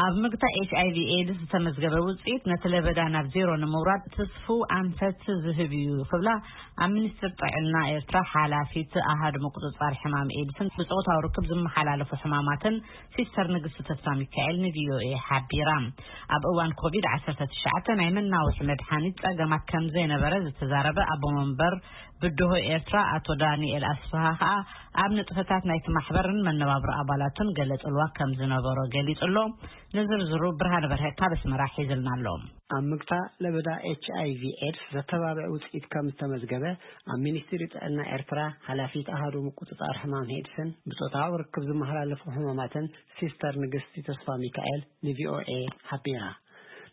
ኣብ ምግታ ኤች ኣይ ቪ ኤድስ ዝተመዝገበ ውፅኢት ነቲ ለበዳ ናብ ዜሮ ንምውራድ ትስፉ ኣንፈት ዝህብ እዩ ክብላ ኣብ ሚኒስትር ጥዕና ኤርትራ ሓላፊት ኣሃድ ምቁፅፃር ሕማም ኤድስን ብፆታዊ ርክብ ዝመሓላለፉ ሕማማትን ሲስተር ንግስቲ ተስፋ ሚካኤል ን ቪ ኦ ኤ ሓቢራ። ኣብ እዋን ኮቪድ ዓሰርተ ትሽዓተ ናይ መናውሒ መድሓኒት ፀገማት ከም ዘይነበረ ዝተዛረበ ኣቦ መንበር ብድሆ ኤርትራ ኣቶ ዳንኤል ኣስፍሃ ከኣ ኣብ ንጥፈታት ናይቲ ማሕበርን መነባብሮ ኣባላቱን ገለ ጽልዋ ከም ዝነበሮ ገሊጹ ኣሎ። ንዝርዝሩ ብርሃነ በርሀ ካብ ኣስመራ ሒዝልና ኣሎ። ኣብ ምግታ ለበዳ ኤች ኣይ ቪ ኤድስ ዘተባብዕ ውጽኢት ከም ዝተመዝገበ ኣብ ሚኒስትሪ ጥዕና ኤርትራ ሓላፊት ኣሃዱ ምቁጽጻር ሕማም ኤድስን ብጾታዊ ርክብ ዝመሓላለፉ ሕማማትን ሲስተር ንግስቲ ተስፋ ሚካኤል ን ቪ ኦ ኤ ሓቢራ።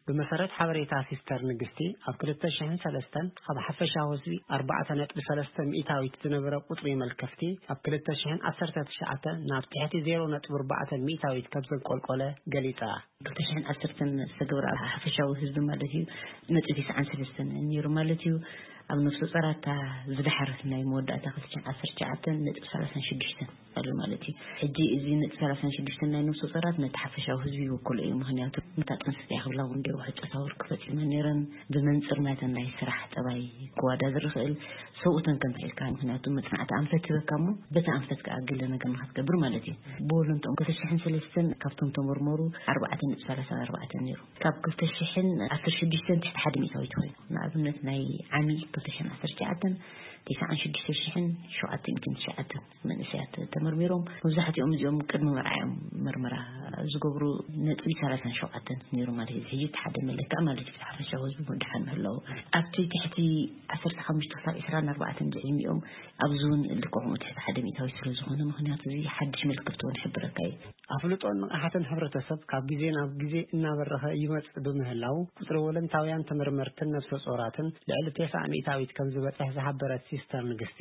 ብመሰረት ሓበሬታ ሲስተር ንግስቲ ኣብ ክልተ ሽሕን ሰለስተን ካብ ሓፈሻዊ ህዝቢ ኣርባዕተ ነጥቢ ሰለስተ ሚእታዊት ዝነበረ ቁጽሪ መልከፍቲ ኣብ ክልተ ሽሕን ዓሰርተ ትሽዓተ ናብ ትሕቲ ዜሮ ነጥቢ ኣርባዕተ ሚእታዊት ከም ዘንቆልቆለ ገሊጻ። ክልተ ሽሕን ዓሰርተን ዝተገብረ ኣብ ሓፈሻዊ ህዝቢ ማለት እዩ ነጥቢ ተስዓን ሰለስተን ነይሩ ማለት እዩ። ኣብ ነፍሰ ጾራታ ዝድሓር ናይ መወዳእታ ክልተ ሽሕን ዓሰርተ ትሽዓተ ነጥቢ ሰላሳን ሽዱሽተን ኣሎ ማለት እዩ። ሕጂ እዚ ነጥቢ ሰላሳን ሽዱሽተን ናይ ነፍሰ ጾራት ነቲ ሓፈሻዊ ህዝቢ ይውክሎ እዩ። ምኽንያቱ ነታ ጥንሲ እያ ክብላ እውን ገይሩ ሕቶታዊ ርክብ ፈጺመን ነይረን። ብመንጽር ናተን ናይ ስራሕ ጠባይ ክዋዳድር ይኽእል። ሰብኡተን ከምቲ ኢልካ፣ ምኽንያቱ መጽናዕቲ ኣንፈት ሂበካ እሞ በቲ ኣንፈት ከኣ ገለ ነገር ንኽትገብር ማለት እዩ። ብወለንትኦም ክልተ ሽሕን ሰለስተን ካብቶም ተመርመሩ ኣርባዕተ ነጥቢ ሰላሳ ኣርባዕተ ነይሩ። ካብ ክልተ ሽሕን ዓሰርተ ሽዱሽተን ትሕቲ ሓደ ሚእታዊት ኮይኑ፣ ንኣብነት ናይ ዓሚ ክልተ ሽሕን ዓሰርተ ትሽዓተን ተስዓን ሽዱሽተ ሽሕን ሸውዓተ ሚእትን ትሽዓተን መንእሰያት ተመርሚሮም። መብዛሕትኦም እዚኦም ቅድሚ መርዓ እዮም መርመራ ዝገብሩ። ነጥቢ ሰላሳን ሸውዓተን ነይሩ ማለት እዩ። ሕጂ እቲ ሓደ መለክዕ ማለት እዩ፣ ሓፈሻዊ ህዝቢ ምድሓን ምህላው። ኣብቲ ትሕቲ ዓሰርተ ሓሙሽተ ክሳብ ዕስራን ኣርባዕተን ዝዕድሚኦም ኣብዚ እውን ልክዕ ከምኡ ትሕቲ ሓደ ሚእታዊት ስለ ዝኾነ፣ ምኽንያቱ እዚ ሓድሽ መልክፍቲ እውን ይሕብረካ እዩ። ኣፍልጦን ንቕሓትን ሕብረተሰብ ካብ ግዜ ናብ ግዜ እናበረኸ ይመጽእ ብምህላው፣ ቁጽሪ ወለንታውያን ተመርመርትን ነፍሰ ጾራትን ልዕሊ ተስዓ ሚእታዊት ከም ዝበጽሕ ዝሓበረት ሲስተር ንግስቲ፣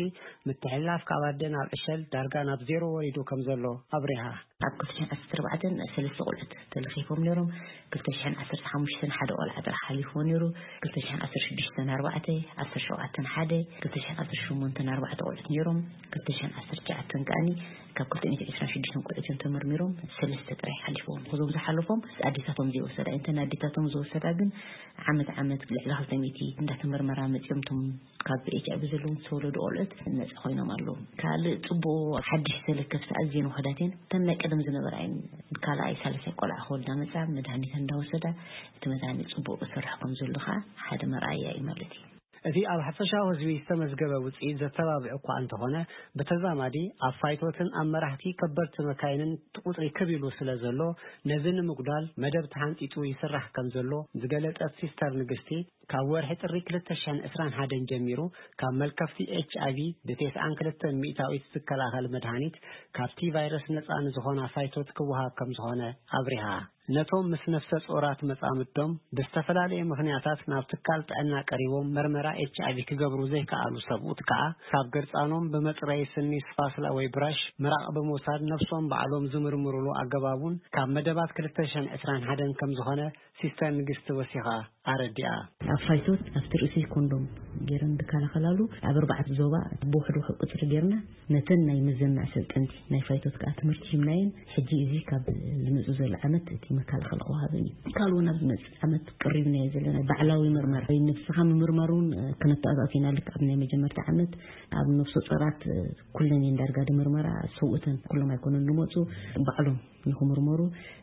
ምትሕልላፍ ካብ ኣደ ናብ ዕሸል ዳርጋ ናብ ዜሮ ወሪዱ ከም ዘሎ ኣብሪሃ። ኣብ ክልተ ሽሕን ዓሰርተ ኣርባዕተን ሰለስተ ቆልዑት ተለኺፎም ነይሮም። ክልተ ሽሕን ዓሰርተ ሓሙሽተን ሓደ ቆልዓ ጥራሕ ሓሊፍዎ ነይሩ። ክልተ ሽሕን ዓሰርተ ሽዱሽተን ኣርባዕተ፣ ዓሰርተ ሸውዓተን ሓደ፣ ክልተ ሽሕን ዓሰርተ ሸሞንተን ኣርባዕተ ቆልዑት ነይሮም። ክልተ ሽሕን ዓሰርተ ትሽዓተን ከኣኒ ካብ ክልተ ሚእትን ዕስራን ሽዱሽተን ቆልዑት እዮም ተመርሚሮም፣ ሰለስተ ጥራይ ሓሊፍዎም። እዞም ዝሓለፎም ኣዴታቶም ዘይወሰዳ እየን። እተን ኣዴታቶም ዝወሰዳ ግን ዓመት ዓመት ልዕሊ ክልተ ሚእቲ እንዳተመርመራ መጺኦም እቶም ካብ ኤች ኣይ ቪ ዘለዎም ዝተወለዱ ቆልዑት ነጻ ኮይኖም ኣለዉ። ካልእ ጽቡቕ ሓድሽ ተለከፍቲ ኣዝየን ውሑዳት እየን። እተን ናይ ቀደም ዝነበራ እየን። ካልኣይ ሳልሳይ ቆልዓ ክወልዳ መጻ መድሃኒት እንዳወሰዳ እቲ መድሃኒት ጽቡቕ ይሰርሕ ከም ዘሎ ከኣ ሓደ መርኣያ እዩ ማለት እዩ። እቲ ኣብ ሓፈሻዊ ህዝቢ ዝተመዝገበ ውጽኢት ዘተባብዕ እኳ እንተኾነ፣ ብተዛማዲ ኣብ ፋይቶትን ኣብ መራሕቲ ከበድቲ መካይንን እቲ ቁጽሪ ክብ ኢሉ ስለ ዘሎ፣ ነዚ ንምጉዳል መደብ ተሓንጺጹ ይስራሕ ከም ዘሎ ዝገለጸት ሲስተር ንግስቲ፣ ካብ ወርሒ ጥሪ ክልተ ሽሕን ዕስራን ሓደን ጀሚሩ ካብ መልከፍቲ ኤች ኣይ ቪ ብተስዓን ክልተን ሚእታዊት ዝከላኸል መድሃኒት ካብቲ ቫይረስ ነጻ ንዝኾና ፋይቶት ክወሃብ ከም ዝኾነ ኣብሪሃ። ነቶም ምስ ነፍሰ ጾራት መጻምዶም ብዝተፈላለየ ምኽንያታት ናብ ትካል ጥዕና ቀሪቦም መርመራ ኤች ኣይ ቪ ክገብሩ ዘይከኣሉ ሰብኡት ከኣ ካብ ገርጻኖም ብመጽረዪ ስኒ ስፓስላ ወይ ብራሽ ምራቕ ብምውሳድ ነፍሶም ባዕሎም ዝምርምሩሉ ኣገባብ እውን ካብ መደባት ክልተ ሽሕን ዕስራን ሓደን ከም ዝኾነ ሲስተር ንግስቲ ወሲኻ ኣረዲኣ። ኣብ ፋይቶት ኣብቲ ርእሲ ኮንዶም ገይረን ዝከላኸላሉ ኣብ ኣርባዕተ ዞባ ብውሕድ ውሕድ ቁጽሪ ገይርና ነተን ናይ ምዘና ሰልጠንቲ ናይ ፋይቶት ከኣ ትምህርቲ ሂብናየን። ሕጂ እዚ ካብ ዝመጽእ ዘሎ ዓመት እቲ መከላኸሊ ክወሃበን እዩ። ካልእ እውን ኣብ ዝመጽእ ዓመት ቀሪብናዮ ዘለና ባዕላዊ ምርመራ ወይ ንስኻ ምምርማር እውን ከነተኣታቱ ኢና። ልክዕ ኣብ ናይ መጀመርታ ዓመት ኣብ ነፍሰ ጾራት ኩለን እየን ዳርጋ ድምርመራ ሰብኡተን ኩሎም ኣይኮኑን ዝመጹ ባዕሎም ንኽምርመሩ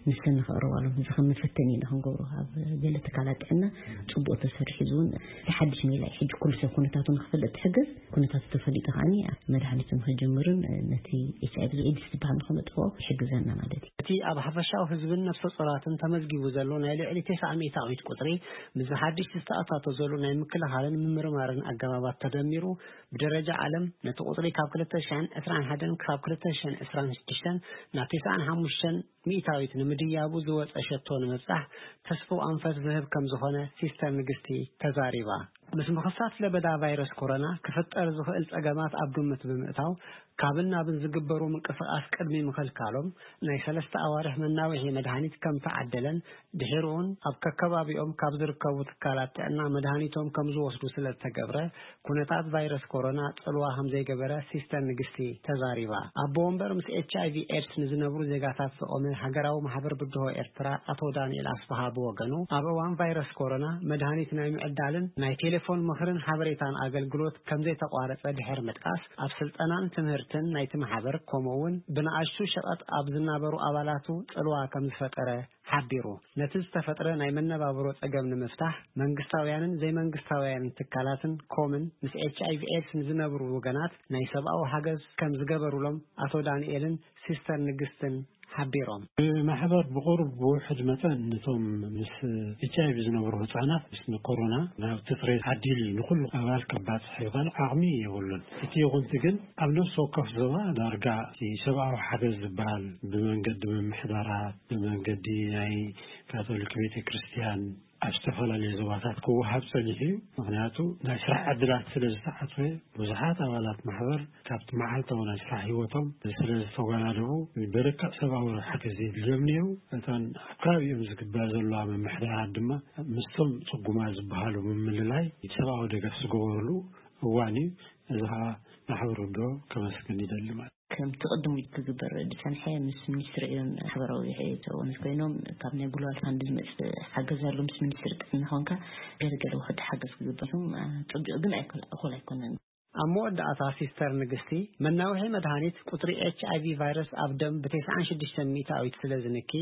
ንሰን ንኸቕርባሎም እዚ ከም መፈተኒ ኢና ክንገብሮ። ኣብ ገለ ትካላት ጥዕና ጽቡቕ ተሰሪሑ፣ እዚ እውን እቲ ሓድሽ ሜላ እዩ። ሕጂ ኩሉ ሰብ ኩነታቱ ንኽፈልጥ ትሕግዝ፣ ኩነታቱ ተፈሊጡ ከኣኒ መድሃኒቱ ንኽጅምርን ነቲ ኤች ኣይ ቪ ኤድስ ዝበሃል ንኽነጥፍኦ ይሕግዘና ማለት እዩ። እቲ ኣብ ሓፈሻዊ ህዝብን ነፍሰ ጾራትን ተመዝጊቡ ዘሎ ናይ ልዕሊ ተስዓ ሚእታዊት ቁጽሪ፣ ምስዚ ሓድሽ ዝተኣታቶ ዘሎ ናይ ምክልኻልን ምምርማርን ኣገባባት ተደሚሩ፣ ብደረጃ ዓለም ነቲ ቁጽሪ ካብ ክልተ ሽሕን ዕስራን ሓደን ክሳብ ክልተ ሽሕን ዕስራን ሽዱሽተን ናብ ተስዓን ሓሙሽተን ሚእታዊት ንምድያቡ ዝወጸ ሸቶ ንምብጻሕ ተስፍኡ ኣንፈት ዝህብ ከም ዝኾነ ሲስተር ንግስቲ ተዛሪባ። ምስ ምኽሳት ለበዳ ቫይረስ ኮሮና ክፍጠር ዝኽእል ጸገማት ኣብ ግምት ብምእታው፣ ካብን ናብን ዝግበሩ ምንቅስቓስ ቅድሚ ምኽልካሎም ናይ ሰለስተ ኣዋርሕ መናውሒ መድሃኒት ከም ተዓደለን ድሒሩውን ኣብ ከከባቢኦም ካብ ዝርከቡ ትካላት ጥዕና መድሃኒቶም ከም ዝወስዱ ስለ ዝተገብረ ኩነታት ቫይረስ ኮሮና ጽልዋ ከም ዘይገበረ ሲስተር ንግስቲ ተዛሪባ። ኣቦ ወንበር ምስ ኤች ኣይ ቪ ኤድስ ንዝነብሩ ዜጋታት ዝቖመ ሃገራዊ ማሕበር ብድሆ ኤርትራ ኣቶ ዳንኤል ኣስፍሃ ብወገኑ ኣብ እዋን ቫይረስ ኮሮና መድሃኒት ናይ ምዕዳልን ናይ ቴሌፎን ምኽርን ሓበሬታን ኣገልግሎት ከም ዘይተቋረጸ ድሕር ምጥቃስ ኣብ ስልጠናን ትምህርትን ናይቲ ማሕበር ከምኡ እውን ብንኣሽቱ ሸቐጥ ኣብ ዝናበሩ ኣባላቱ ጽልዋ ከም ዝፈጠረ ሓቢሩ። ነቲ ዝተፈጥረ ናይ መነባብሮ ጸገም ንምፍታሕ መንግስታውያንን ዘይመንግስታውያንን ትካላትን ኮምን ምስ ኤች ኣይ ቪ ኤድስ ንዝነብሩ ወገናት ናይ ሰብኣዊ ሓገዝ ከም ዝገበሩሎም ኣቶ ዳንኤልን ሲስተር ንግስትን ሓቢሮም። ብማሕበር ብቑሩብ ብውሕድ መጠን ነቶም ምስ ኤች ኣይ ቪ ዝነብሩ ህጻናት ምስ ንኮሮና ናብቲ ጽሬት ዓዲል ንኹሉ ኣባል ከባጽሕ ይኽእል ዓቕሚ የብሉን። እቲ ይኹንቲ ግን ኣብ ነፍሲ ወከፍ ዞባ ዳርጋ እቲ ሰብኣዊ ሓገዝ ዝበሃል ብመንገዲ ምምሕዳራት፣ ብመንገዲ ናይ ካቶሊክ ቤተ ክርስቲያን ኣብ ዝተፈላለዩ ዞባታት ክወሃብ ጸኒሑ እዩ። ምኽንያቱ ናይ ስራሕ ዕድላት ስለ ዝተዓጽወ ብዙሓት ኣባላት ማሕበር ካብቲ መዓልታዊ ናይ ስራሕ ህይወቶም ስለ ዝተወናደቡ ብርክዕ ሰብኣዊ ሓገዝ የድልዮም ነይሩ። እተን ኣብ ከባቢኦም ዝግበር ዘለዋ ምምሕዳራት ድማ ምስቶም ጽጉማት ዝበሃሉ ምምልላይ ሰብኣዊ ደገፍ ዝገበሩሉ እዋን እዩ። እዚ ከዓ ማሕበር ውድኦ ከመስግን ይደሊ ማለት እዩ። ከምቲ ቅድም ክግበር ዝጸንሐ ምስ ሚኒስትሪ እዮም ማሕበራዊ ሕቶነት ኮይኖም ካብ ናይ ግሎባል ፋንድ ዝመጽእ ሓገዝ ኣሎ። ምስ ሚኒስትሪ ጥዕና ኮንካ ገለገለ ውሕድ ሓገዝ ክግበር እዮም። ጽቡቕ ግን ኣይኮል- እኹል ኣይኮነን። ኣብ መወዳእታ ሲስተር ንግስቲ መናውሒ መድሃኒት ቁጽሪ ኤች ኣይ ቪ ቫይረስ ኣብ ደም ብ ተስዓን ሽዱሽተ ሚእታዊት ስለ ዝንኪ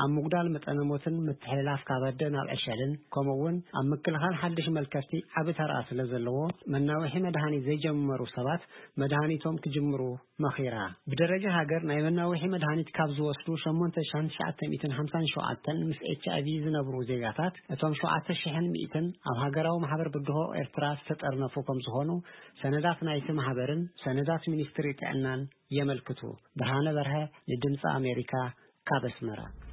ኣብ ምጉዳል መጠነ ሞትን ምትሕልላፍ ካብ ኣደ ናብ ዕሸልን ከምኡ እውን ኣብ ምክልኻል ሓድሽ መልከፍቲ ዓቢ ተራ ስለ ዘለዎ መናውሒ መድሃኒት ዘይጀመሩ ሰባት መድሃኒቶም ክጅምሩ መኺራ። ብደረጃ ሃገር ናይ መናውሒ መድሃኒት ካብ ዝወስዱ ሸሞንተ ሽሕን ትሽዓተ ሚእትን ሓምሳን ሸውዓተን ምስ ኤች ኣይ ቪ ዝነብሩ ዜጋታት እቶም ሸውዓተ ሽሕን ሚእትን ኣብ ሃገራዊ ማሕበር ብድሆ ኤርትራ ዝተጠርነፉ ከም ዝኾኑ ሰነዳት ናይቲ ማሕበርን ሰነዳት ሚኒስትሪ ጥዕናን የመልክቱ። ብርሃነ በርሀ ንድምፂ ኣሜሪካ ካብ ኣስመራ።